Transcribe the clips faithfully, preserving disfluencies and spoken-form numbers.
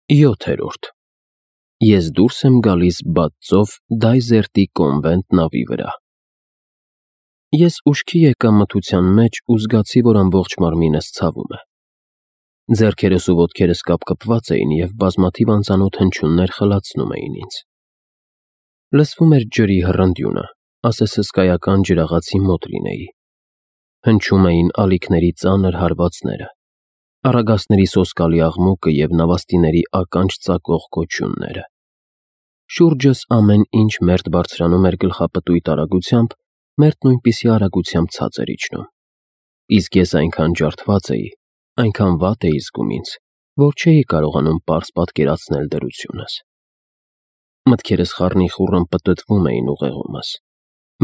յոթերորդ Ես դուրս եմ գալիս բաձով Դայզերտի կոնվենտ նավի վրա։ Ես ուշքի եկա մթության մեջ ու զգացի, որ ամբողջ մարմինս ցավում է։ Ձեռքերս ու ոտքերս կապկպված էին և բազմաթիվ անծանոթ հնչյուններ խլացնում էին ինձ։ Լսվում էր ջրի հռնդյունը, ասես հսկայական ջրաղացի մոտ լինեի։ Հնչում էին ալիքների ծանր հարվածները, առագաստների սոսկալի աղմուկը և նավաստիների ականջ ծակող կոչյունները։ Շուրջս ամեն ինչ մերթ բարձրանում էր գլխապտույտ արագությամբ, մերթ նույնպիսի արագությամբ ցած էր իջնում։ Իսկ ես այնքան ջարդված էի, այնքան վատ էի զգում ինձ, որ չէի կարողանում պարզ պատկերացնել դրությունս։ Մտքերս խառնիխուռն պտտվում էին ուղեղումս,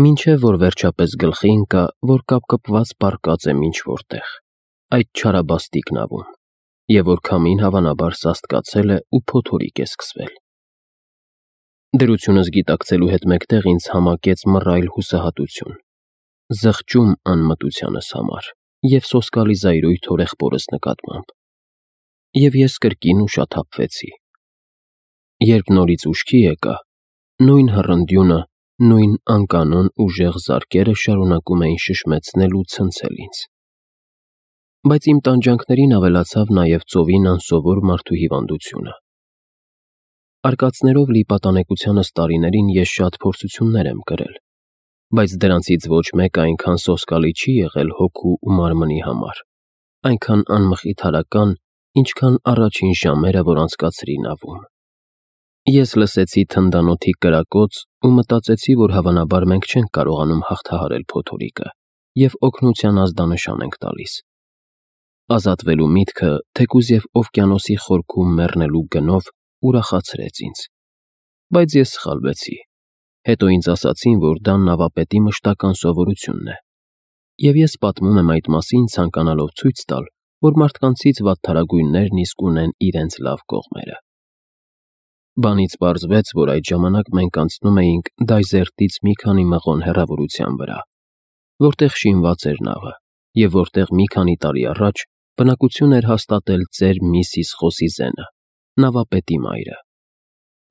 մինչև որ վերջապես գլխի ընկա, որ կապկպված պառկած եմ ինչ-որ տեղ, այդ չարաբաստիկ նավում, և որ քամին հավանաբար սաստկացել է ու փոթորիկ է սկսվել։ Դրությունս գիտակցելու հետ մեկտեղ ինձ համակեց մռայլ հուսահատություն, զղջում անմտությանս համար և սոսկալի զայրույթ հորեղբորս նկատմամբ։ Եվ ես կրկին ուշաթափվեցի։ Երբ նորից ուշքի եկա, նույն հռնդյունը, նույն անկանոն ուժեղ զարկերը շարունակում էին շշմեցնել ու ցնցել ինձ։ Բայց իմ տանջանքներին ավելացավ նաև ծովին անսովոր մարդու հիվանդությունը։ Արկածներով լի պատանեկությանս տարիներին ես շատ փորձություններ եմ կրել, բայց դրանցից ոչ մեկը այնքան սոսկալի չի եղել հոգու ու մարմնի համար, այնքան անմխիթարական, ինչքան առաջին ժամերը, որ անցկացրի նավում։ Ես լսեցի թնդանոթի կրակոց ու մտածեցի, որ հավանաբար մենք չենք կարողանում հաղթահարել փոթորիկը և օգնության ազդանշան ենք տալիս։ Ազատվելու միտքը, թեկուզ և օվկիանոսի խորքում մեռնելու գնով, ուրախացրեց ինձ։ Բայց ես սխալվեցի։ Հետո ինձ ասացին, որ դա նավապետի մշտական սովորությունն է, և ես պատմում եմ այդ մասին, ցանկանալով ցույց տալ, որ մարդկանցից վատթարագույններն իսկ ունեն իրենց լավ կողմերը։ Բանից պարզվեց, որ այդ ժամանակ մենք անցնում էինք Դայզերտից մի քանի մղոն հեռավորության վրա, որտեղ շինված էր նավը, և որտեղ մի քանի տարի առաջ բնակություն էր հաստատել ծեր Միսիս Խոսիզենը, նավապետի մայրը։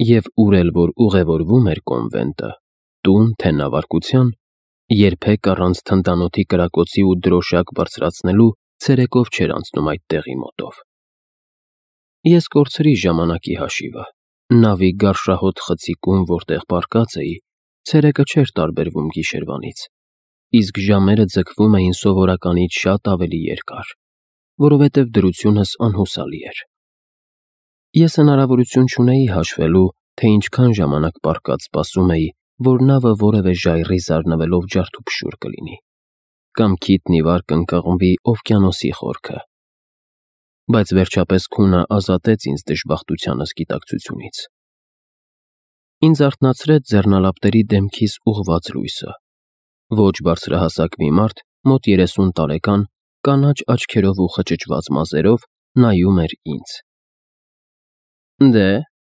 Եվ ուր էլ որ ուղևորվում էր կոնվենտը, տուն, թե նավարկության, երբեք առանց թնդանոթի կրակոցի ու դրոշակ բարձրացնելու ցերեկով չէր անցնում այդ տեղի մոտով։ Ես կորցրի ժամանակի հաշիվը։ Նավի գարշահոտ խցիկում, որտեղ պառկած էի, ցերեկը չէր տարբերվում գիշերվանից, իսկ ժամերը ձգվում էին սովորականից շատ ավելի երկար, որովհետև դրությունս անհուսալի էր։ Ես հնարավորություն չունեի հաշվելու, թե ինչքան ժամանակ պառկած սպասում էի, որ նավը որևէ ժայռի զարնվելով ջարդուփշուր կլինի, կամ քիթն ի վար կընկղմվի օվկիանոսի խորքը։ Բայց վերջապես քունը ազատեց ինձ դժբախտությանս գիտակցությունից։ Ինձ արթնացրեց ձեռնալապտերի դեմքիս ուղղված լույսը։ Ոչ բարձրահասակ մի մարդ, մոտ երեսուն տարեկան, կանաչ աչքերով ու խճճված մազերով նայում էր ինձ։ Դե,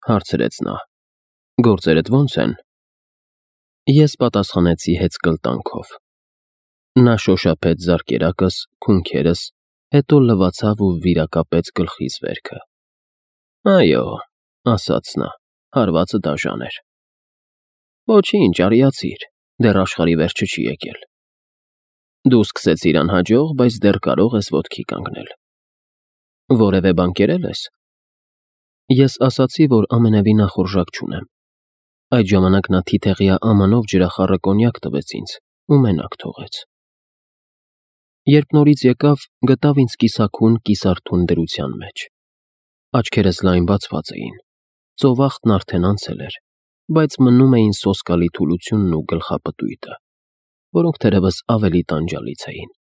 հարցրեց նա, գործերդ ո՞նց են։ Ես պատասխանեցի հեծկլտանքով։ Նա շոշափեց զարկերակս, քունքերս, հետո լվացավ ու վիրակապեց գլխիս վերքը։ Այո, ասաց նա, հարվածը դաժան էր։ Ոչինչ, արիացիր, դեռ աշխարհի վերջը չի եկել։ Դու սկսեցիր անհաջող, բայց դեռ կարող ես ոտքի կանգնել։ Որևէ բան կերել ես։ Ես ասացի, որ ամենևին ախորժակ չունեմ։ Այդ ժամանակ նա թիթեղյա ամանով ջրախառը կոնյակ տվեց ինձ ու մենակ թողեց։ Երբ նորից եկավ, գտավ ինձ կիսաքուն կիսարթուն դրության մեջ։ Աչքերս լայն բացված էին, ծովախտն արդեն անցել էր, բայց մնում էին սոսկալի թուլությունն ու գլխապտույտը, որոնք թերևս ավելի տանջալից էին։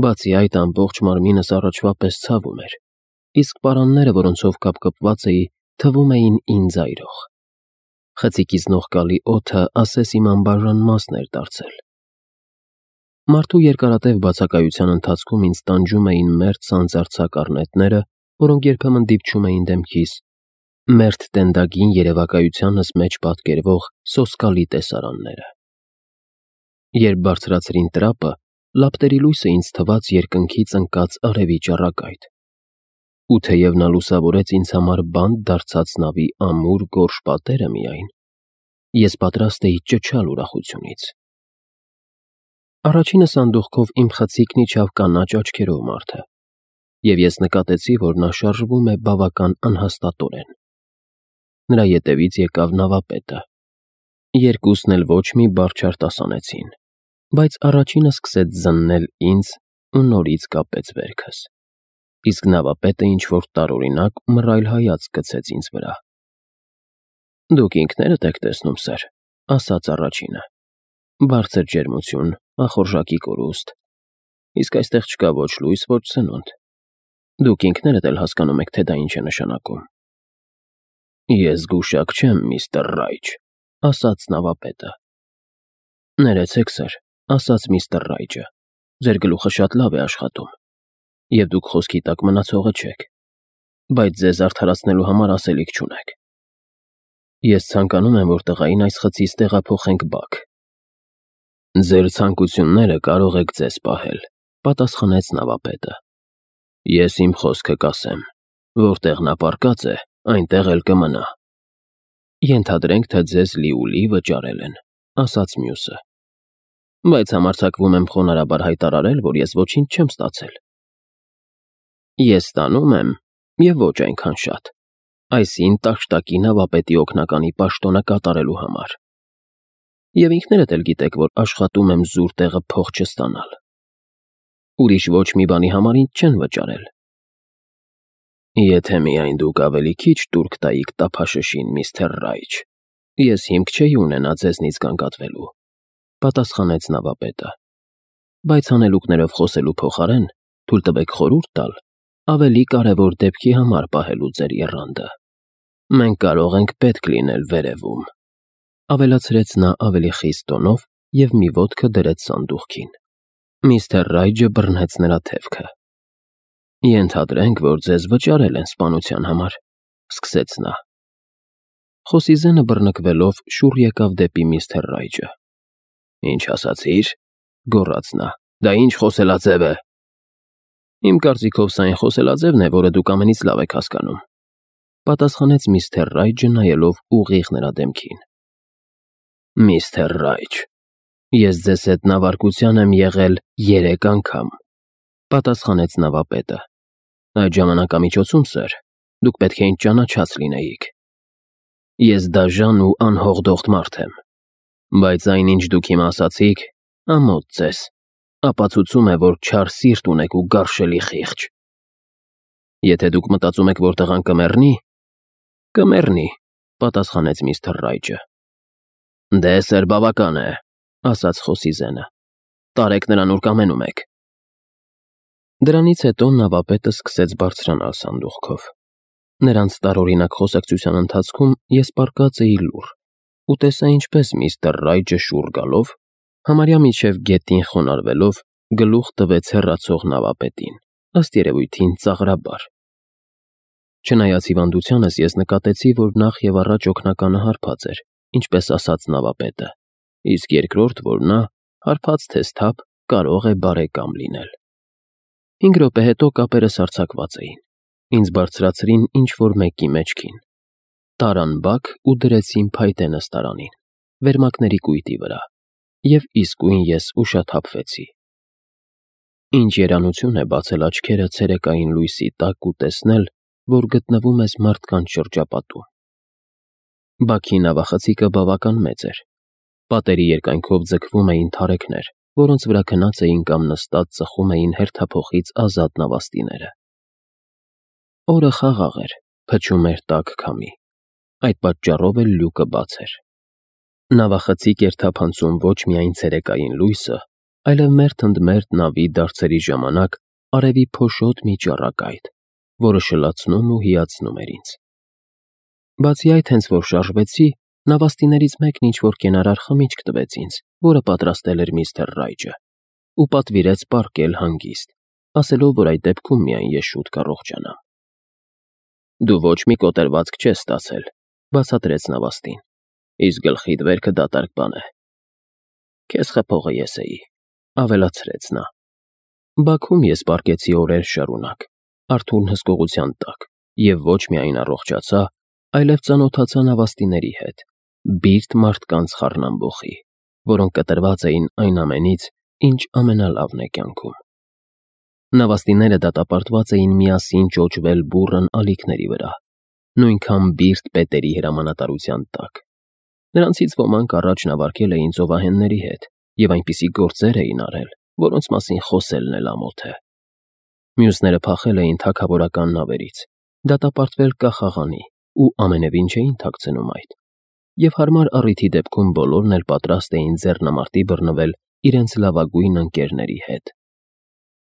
Բացի այդ, ամբողջ մարմինս առաջվա պես ցավում էր, իսկ պարանները, որոնցով կապկպված էի, թվում էին ինձ այրող։ Խցիկից նողկալի օդը ասես իմ անբաժան մասն էր դարձել։ Մարդու երկարատև բացակայության ընթացքում ինձ տանջում էին մերթ սանձարձակ առնետները, որոնք երբեմն դիպչում էին դեմքիս, մերթ տենդագին երևակայությանս մեջ պատկերվող սոսկալի տեսարանները։ Երբ բարձրացրին տրապը, լապտերի լույսը ինձ թվաց երկնքից ընկած արևի ճառագայթ։ ու թեև նա լուսավորեց ինձ համար բանտ դարձած նավի ամուր գորշ պատերը միայն, ես պատրաստ էի ճչալ ուրախությունից։ Առաջինը սանդուղքով իմ խցիկն իջավ կանաչ աչքերով մարդը, և ես նկատեցի, որ նա շարժվում է բավական անհաստատորեն։ Նրա ետևից եկավ նավապետը։ Երկուսն էլ ոչ մի բառ չարտասանեցին, բայց առաջինը սկսեց զննել ինձ ու նորից կապեց վերքս, իսկ նավապետը ինչ-որ տարօրինակ մռայլ հայացք գցեց ինձ վրա։ «Դուք ինքներդ եք տեսնում, սըր», ասաց առաջինը։ «Բարձր ջերմություն, ախորժակի կորուստ, իսկ այստեղ չկա ոչ լույս, ոչ սնունդ։ Դուք ինքներդ էլ հասկանում եք, թե դա ինչ է նշանակում»։ «Ես գուշակ չեմ, միստր Ռայջ», ասաց նավապետը։ «Ներեցեք, սըր», ասաց միստր Ռայջը, «ձեր գլուխը շատ լավ է աշխատում, և դուք խոսքի տակ մնացողը չեք, բայց ձեզ արդարացնելու համար ասելիք չունեք։ Ես ցանկանում եմ, որ տղային այս խցից տեղափոխենք բակ»։ «Ձեր ցանկությունները կարող եք ձեզ պահել», պատասխանեց նավապետը։ «Ես իմ խոսքը կասեմ, որտեղ նա պառկած է, այնտեղ էլ կմնա»։ «Ենթադրենք, թե ձեզ լիուլի վճարել են», ասաց մյուսը։ «Բայց համարձակվում եմ խոնարհաբար հայտարարել, որ ես ոչինչ չեմ ստացել»։ «Ես ստանում եմ, և ոչ այնքան շատ, այսին տաշտակի նավապետի օգնականի պաշտոնը կատարելու համար։ Եվ ինքներդ էլ գիտեք, որ աշխատում եմ զուր տեղը փող չստանալ։ Ուրիշ ոչ մի բանի համար ինձ չեն վճարել»։ «Եթե միայն դուք ավելի քիչ տուրք տայիք տափաշշին, միստր Ռայջ, ես հիմք չէի ունենա ձեզնից գանգատվելու», պատասխանեց նավապետը։ «Բայց հանելուկներով խոսելու փոխարեն թույլ տվեք խորհուրդ տալ ավելի կարևոր դեպքի համար պահելու ձեր եռանդը։ Մենք կարող ենք պետք լինել վերևում», ավելացրեց նա ավելի խիստ տոնով և մի ոտքը դրեց սանդուղքին։ Միստր Ռայջը բռնեց նրա թևքը։ «Ենթադրենք, որ ձեզ վճարել են սպանության համար», սկսեց նա։ Խոսի ձենը բռնկվելով շուռ եկավ դեպի միստր Ռայջը։ «Ինչ ասացիր», գոռաց նա, «դա ինչ խոսելաձև է»։ «Իմ կարծիքով սա այն խոսելաձևն է, որը դուք ամենից լավ եք հասկանում», պատասխանեց միստր Ռայջը նայելով ուղիղ նրա դեմքին։ «Միստր Ռայջ, ես ձեզ հետ նավարկության եմ եղել երեք անգամ», պատասխանեց նավապետը։ «Այդ ժամանակամիջոցում, սըր, դուք պետք է ինձ ճանաչած լինեիք։ Ես դաժան ու անհողդոխտ մարդ եմ, բայց այն, ինչ դուք հիմա ասացիք, ամոթ ձեզ, ապացուցում է, որ չար սիրտ ունեք ու գարշելի խիղճ։ Եթե դուք մտածում եք, որ տղան կմեռնի, կմեռնի», պատասխանեց միստր Ռայջը։ «Դե, սըր, բավական է», ասաց խոսի ձենը։ «Տարեք նրան, ուր կամենում եք»։ Դրանից հետո նավապետը սկսեց բարձրանալ սանդուղքով։ Նրանց տարօրինակ խոսակցության ընթացքում ես պառկած էի լուռ ու տեսա, ինչպես միստր Ռայջը շուռ գալով, համարյա մինչև գետին խոնարհվելով, գլուխ տվեց հեռացող նավապետին, ըստ երևույթին ծաղրաբար։ Չնայած հիվանդությանս, ես նկատեցի, որ նախ և առաջ օգնականը հարբած էր, ինչպես ասաց նավապետը, իսկ երկրորդ, որ նա, հարբած թե սթափ, կարող է բարեկամ լինել։ Հինգ րոպե հետո կապերս արձակված էին։ Ինձ բարձրացրին ինչ-որ մեկի մեջքին, տարան բակ ու դրեցին փայտե նստարանին, վերմակների կույտի վրա, և իսկույն ես ուշաթափվեցի։ Ինչ երանություն է բացել աչքերը ցերեկային լույսի տակ ու տեսնել, որ գտնվում ես մարդկանց շրջապատում։ Բաքի նավախցիկը բավական մեծ էր։ Պատերի երկայնքով ձգվում էին թարեքներ, որոնց վրա քնած էին կամ նստած ծխում էին հերթափոխից ազատ նավաստիները։ Օրը խաղաղ էր, փչում էր տաք քամի, այդ պատճառով էլ լյուկը բաց էր։ Նավախցիկ էր թափանցում ոչ միայն ցերեկային լույսը, այլև մերթ ընդ մերթ նավի դարձերի ժամանակ արևի փոշոտ մի ճառագայթ, որը շլացնում ու հիացնում էր ինձ։ Բացի այդ, հենց որ շարժվեցի, նավաստիներից մեկն ինչ-որ կենարար խմիչք տվեց ինձ, որը պատրաստել էր միստր Ռայջը, ու պատվիրեց պառկել հանգիստ, ասելով, որ այդ դեպքում միայն ես շուտ կառողջանամ։ «Դու ոչ մի կոտրվածք չես ստացել», բացատրեց նավաստին, «իսկ գլխիդ վերքը դատարկ բան է»։ «Քեզ խփողը ես էի», ավելացրեց նա։ Բաքում ես պառկեցի օրեր շարունակ, Արթուրն հսկողության տակ և ոչ միայն առողջացա, այլև ծանոթացա նավաստիների հետ, բիրտ մարդկանց խառնամբոխի, որոնք կտրված էին այն ամենից, ինչ ամենալավն է կյանքում։ Նավաստիները դատապարտված էին միասին ճոճվել բուռն ալիքների վրա, նույնքան բիրտ պետերի հրամանատարության տակ։ Նրանցից ոմանք առաջ նավարկել էին ծովահենների հետ և այնպիսի գործեր էին արել, որոնց մասին խոսելն էլ ամոթ է։ Մյուսները փախել էին թագավորական նավերից, դատապարտվել կախաղանի ու ամենևին չէին թաքցնում այդ, և հարմար առիթի դեպքում բոլորն էլ պատրաստ էին ձեռնամարտի բռնվել իրենց լավագույն ընկերների հետ։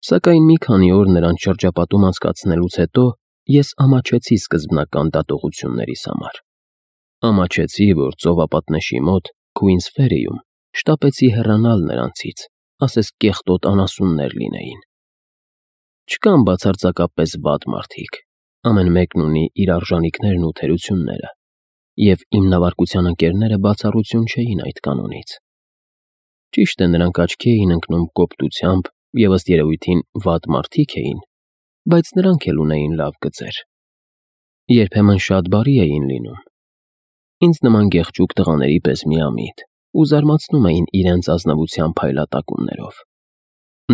Սակայն մի քանի օր նրանց շրջապատում անցկացնելուց հետո ես ամաչեցի սկզբնական դատողություններիս համար։ Ամաչեցի, որ ծովապատնեշի մոտ, Քուինս Ֆերիում, շտապեցի հեռանալ նրանցից, ասես կեղտոտ անասուններ լինեին։ Չկան բացարձակապես վատ մարդիկ, ամեն մեկն ունի իր արժանիքներն ու թերությունները, և իմ նավարկության ընկերները բացառություն չէին այդ կանոնից։ Ճիշտ է, նրանք աչքի էին ընկնում կոպտությամբ և ըստ երևույթին վատ մարդիկ էին, բայց նրանք էլ ունեին լավ գծեր։ Երբեմն շատ բարի էին լինում։ Ինձ նման գեղեցիկ տղաների պես միամիտ ու զարմացնում էին իրենց ազնվության փայլատակումներով։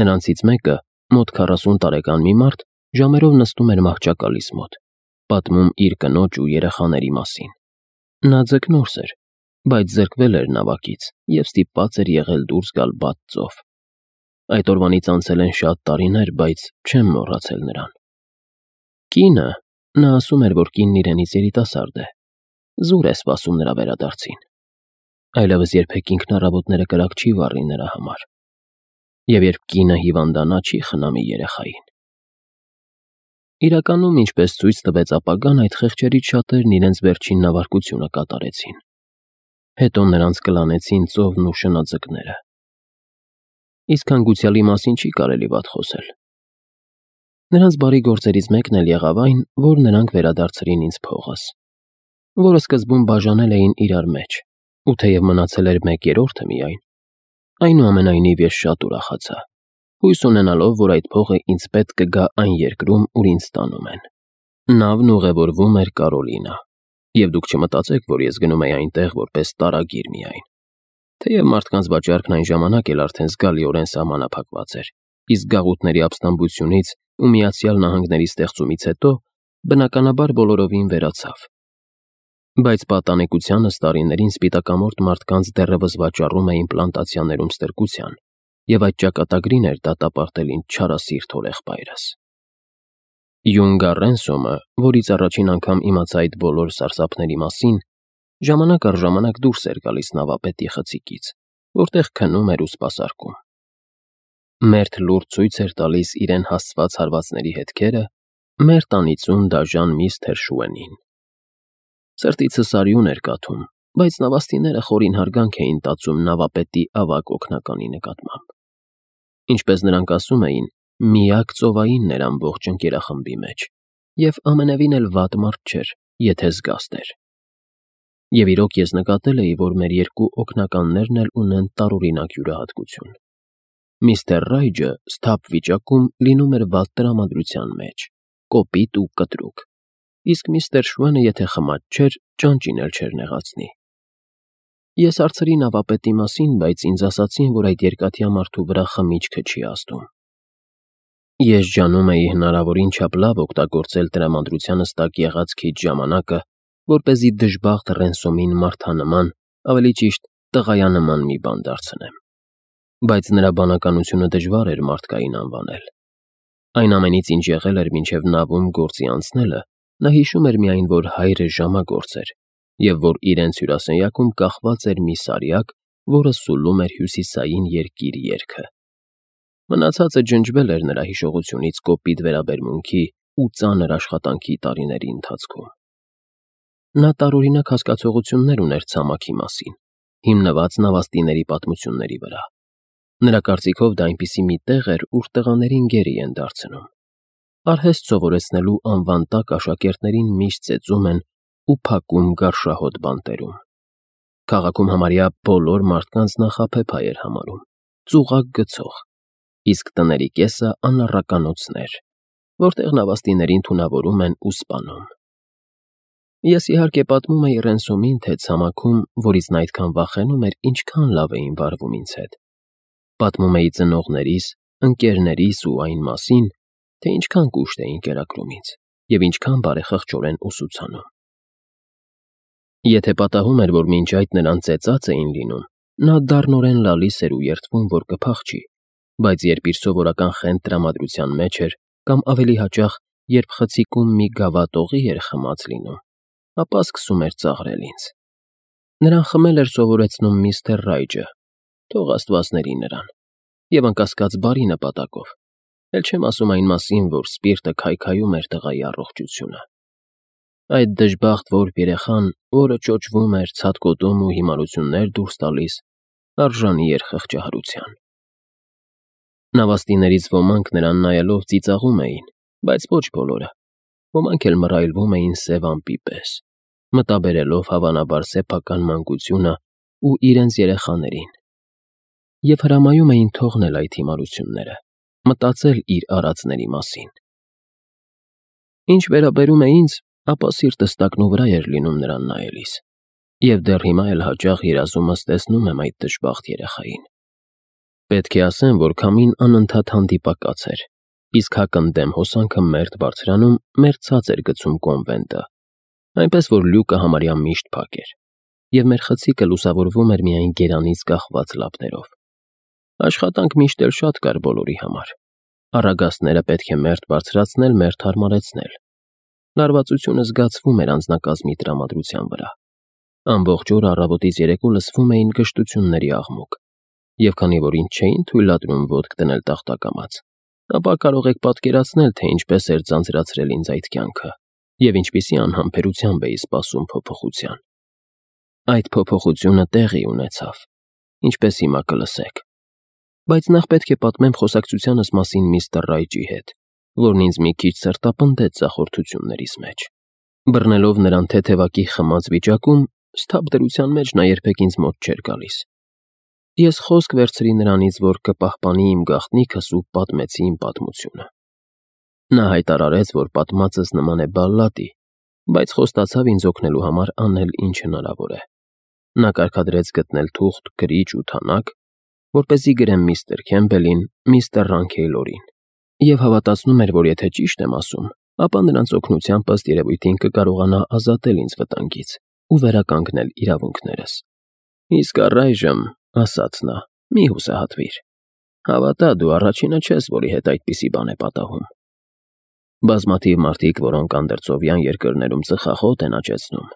Նրանցից մեկը, մոտ քառասուն տարեկան մի մարդ, ժամերով նստում էր մահճակալիս մոտ, պատմում իր կնոջ ու երեխաների մասին։ Նա ձկնորս էր, բայց զրկվել էր նավակից և ստիպված էր եղել դուրս գալ բաց ծով։ Այդ օրվանից անցել են շատ տարիներ, բայց չեմ մոռացել նրան։ Կինը, նա ասում էր, որ կինն իրենից երիտասարդ է, զուր է սպասում նրա վերադարձին։ Այլևս երբեք ինքնառավոտները կրակ չի վառի նրա համար։ Եվ երբ կինը հիվանդանա, չի խնամի երեխային։ Իրականում, ինչպես ցույց տվեց ապագան, այդ խեղճերից շատերն իրենց վերջին նավարկությունը կատարեցին։ Հետո նրանց կլանեցին ծովն ու շնաձկները։ Իսկ հանգուցյալի մասին չի կարելի վատ խոսել։ Նրանց բարի գործերից մեկն էլ եղավ այն, որ նրանք վերադարձրին ինձ փողս, որը սկզբում բաժանել էին իրար մեջ, ու թեև մնացել էր մեկ երրորդը միայն, այնուամենայնիվ ես շատ ուրախացա, հույս ունենալով, որ այդ փողը ինձ պետք կգա այն երկրում, ուր ինձ տանում են։ Նավն ուղևորվում էր Կարոլինա, և դուք չմտածեք, որ ես գնում էի այնտեղ որպես տարագիր միայն։ Թեև մարդկանց վաճառքն այն ժամանակ էլ արդեն զգալիորեն սահմանափակված էր, իսկ գաղութների ապստամբությունից ու Միացյալ Նահանգների ստեղծումից հետո, բնականաբար, բոլորովին վերացավ։ Բայց պատանեկությանս տարիներին սպիտակամորթ մարդկանց դեռևս վաճառում էին պլանտացիաներում ստրկության, և այդ ճակատագրին էր դատապարտել ինձ չարասիրտ հորեղբայրս։ Յունգա Ռենսոմը, որից առաջին անգամ իմացա այդ բոլոր սարսափների մասին, ժամանակ առ ժամանակ դուրս էր գալիս նավապետի խցիկից, որտեղ քնում էր ու սպասարկում։ Մերթ լուրջ ցույց էր տալիս իրեն հասցված հարվածների հետքերը, մերթ անիծում դաժան միստր Շուենին։ Սրտիցս արյուն էր կաթում, բայց նավաստիները խորին հարգանք էին տածում նավապետի ավագ օգնականի նկատմամբ։ Ինչպես նրանք ասում էին, միակ ծովայինն էր ամբողջ ընկերախմբի մեջ, և ամենևին էլ վատ մարդ չէր, եթե զգաստ էր։ Եվ իրոք ես նկատել էի, որ մեր երկու օգնականներն էլ ունեն տարօրինակ յուրահատկություն։ Միստր Ռայջը սթափ վիճակում լինում էր վատ տրամադրության մեջ, կոպիտ ու կտրուկ, իսկ միստր Շուենը, եթե խմած չէր, ճանճին էլ չէր նեղացնի։ Ես հարցրի նավապետի մասին, բայց ինձ ասացին, որ այդ երկաթյա մարդու վրա խմիչքը չի ազդում։ Ես ջանում էի հնարավորին չափ լավ օգտագործել տրամադրությանս տակ եղած քիչ ժամանակը, որպեսզի դժբախտ Ռենսոմին մարդանման, ավելի ճիշտ տղայանման մի բան դարձնեմ։ Բայց նրա բանականությունը դժվար էր մարդկային անվանել։ Այն ամենից, ինչ եղել էր մինչև նավում գործի անցնելը, նա հիշում էր միայն, որ հայրը ժամագործ էր, և որ իրենց հյուրասենյակում կախված էր մի սարյակ, որը սուլում էր հյուսիսային երկիր երգը։ Մնացածը ջնջվել էր նրա հիշողությունից կոպիտ վերաբերմունքի ու ծանր աշխատանքի տարիների ընթացքում։ Նա տարօրինակ հասկացողություններ ուներ ցամաքի մասին, հիմնված նավաստիների պատմությունների վրա։ Նրա կարծիքով դա այնպիսի մի տեղ էր, ուր տղաներին գերի են դարձնում։ Արհեստ սովորեցնելու անվան տակ աշակերտներին միշտ ծեծում են ու փակում գարշահոտ բանտերում։ Քաղաքում համարյա բոլոր մարդկանց նախապեփ էր համարում, ծուղակ գցող, իսկ տների կեսը անառականոցներ, որտեղ նավաստիներին թունավորում են ու սպանում։ Ես իհարկե պատմում էի Ռենսոմին, թե ցամաքում, որից նա այդքան վախենում էր, ինչքան լավ էին վարվում ինձ հետ։ Պատմում էի ծնողներիս, ընկերներիս ու այն մասին, թե ինչքան կուշտ էին կերակրում ինձ և ինչքան բարեխղճորեն ուսուցանում։ Եթե պատահում էր, որ մինչ այդ նրան ծեծած էին լինում, նա դառնորեն լալիս էր ու երդվում, որ կփախչի, բայց երբ իր սովորական խենթ տրամադրության մեջ էր, կամ ավելի հաճախ, երբ խցիկում մի գավաթ օղի էր խմած լինում, ապա սկսում էր ծաղրել ինձ։ Նրան խմել էր սովորեցնում միստր Ռայջը, թող աստված ների նրան, և անկասկած բարի նպատակով, էլ չեմ ասում այն մասին, որ սպիրտը քայքայում էր տղայի առողջությունը։ Այդ դժբախտ որբ երեխան, որը ճոճվում էր, ցատկոտում ու հիմարություններ դուրս տալիս, արժանի էր խղճահարության։ Նավաստիներից ոմանք նրան նայելով ծիծաղում էին, բայց ոչ բոլորը, ոմանք էլ մռայլվում էին սև ամպի պես, մտաբերելով հավանաբար սեփական մանկությունը ու իրենց երեխաներին, և հրամայում էին թողնել այդ հիմարությունները, մտածել իր արածների մասին։ Ինչ վերաբերում է ինձ, ապա սիրտս տակնուվրա էր լինում նրան նայելիս, և դեռ հիմա էլ հաճախ երազումս տեսնում եմ այդ դժբախտ երեխային։ Պետք է ասեմ, որ քամին անընդհատ հանդիպակաց էր, իսկ հակընդդեմ հոսանքը մերթ բարձրանում, մեր ցած էր գցում կոնվենտը, այնպես որ լյուկը համարյա միշտ փակ էր, և մեր խցիկը լուսավորվում էր միայն գերանից կախված լապներով։ Աշխատանք միշտ էլ շատ կար բոլորի համար։ Առագաստները պետք է մերթ բարձրացնել, մերթ հարմարեցնել։ Լարվածությունը զգացվում էր անձնակազմի տրամադրության վրա։ Ամբողջ օրը առավոտից երեկո լսվում էին գժտությունների աղմուկ, և քանի որ ինձ չէին թույլատրում ոտք դնել տախտակամաց, ապա կարող եք պատկերացնել, թե ինչպես էր ձանձրացրել ինձ այդ կյանքը, և ինչպիսի անհամբերությամբ էի սպասում փոփոխության։ Այդ փոփոխությունը տեղի ունեցավ, ինչպես հիմա կլսեք։ Բայց նախ պետք է պատմեմ խոսակցությանս մասին միստր Ռայջի հետ, որն ինձ մի քիչ սրտապնդեց ձախորդություններիս մեջ։ Բռնելով նրան թեթևակի խմած վիճակում, սթափ դրության մեջ նա երբեք ինձ մոտ չէր գալիս։ Ես խոսք վերցրի նրանից, որ կպահպանի իմ գաղտնիքս ու պատմեցի իմ պատմությունը։ Նա հայտարարեց, որ պատմածս նման է բալլադի, բայց խոստացավ ինձ օգնելու համար անել ինչ հնարավոր է։ Նա կարգադրեց գտնել թուղթ, գրիչ ու թանակ, որպեսզի գրեմ միստր Քեմբելին, միստր Ռանքեյլորին, և հավատացնում էր, որ եթե ճիշտ եմ ասում, ապա նրանց օգնությամբ ըստ երևույթին կկարողանա ազատել ինձ վտանգից ու վերականգնել իրավունքներս։ Իսկ առայժմ, ասաց նա, մի հուսահատվիր։ Հավատա, դու առաջինը չես, որի հետ այդպիսի բան է պատահում։ Բազմաթիվ մարդիկ, որոնք անդրծովյան երկրներում ծխախոտ են աճեցնում,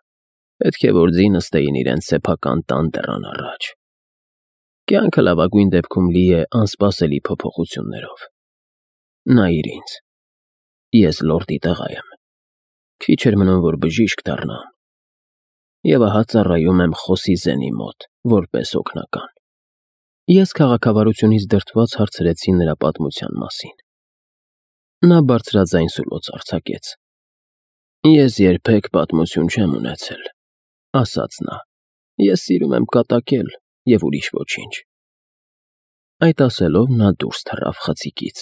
պետք է որ ձի նստեին իրենց սեփական տան դռան առաջ։ Կյանքը լավագույն դեպքում լի է անսպասելի փոփոխություններով։ Նայիր ինձ։ Ես լորդի տղա եմ։ Քիչ էր մնում, որ բժիշկ դառնամ։ Եվ ահա ծառայում եմ Խոսիզենի մոտ, որպես օգնական։ Ես քաղաքավարությունից դրդված հարցրեցի նրա պատմության մասին։ Նա բարձրաձայն սուլոց արձակեց։ Ես երբեք պատմություն չեմ ունեցել, ասաց նա։ Ես սիրում եմ կատակել և ուրիշ ոչինչ։ Այդ ասելով նա դուրս թռավ խցիկից։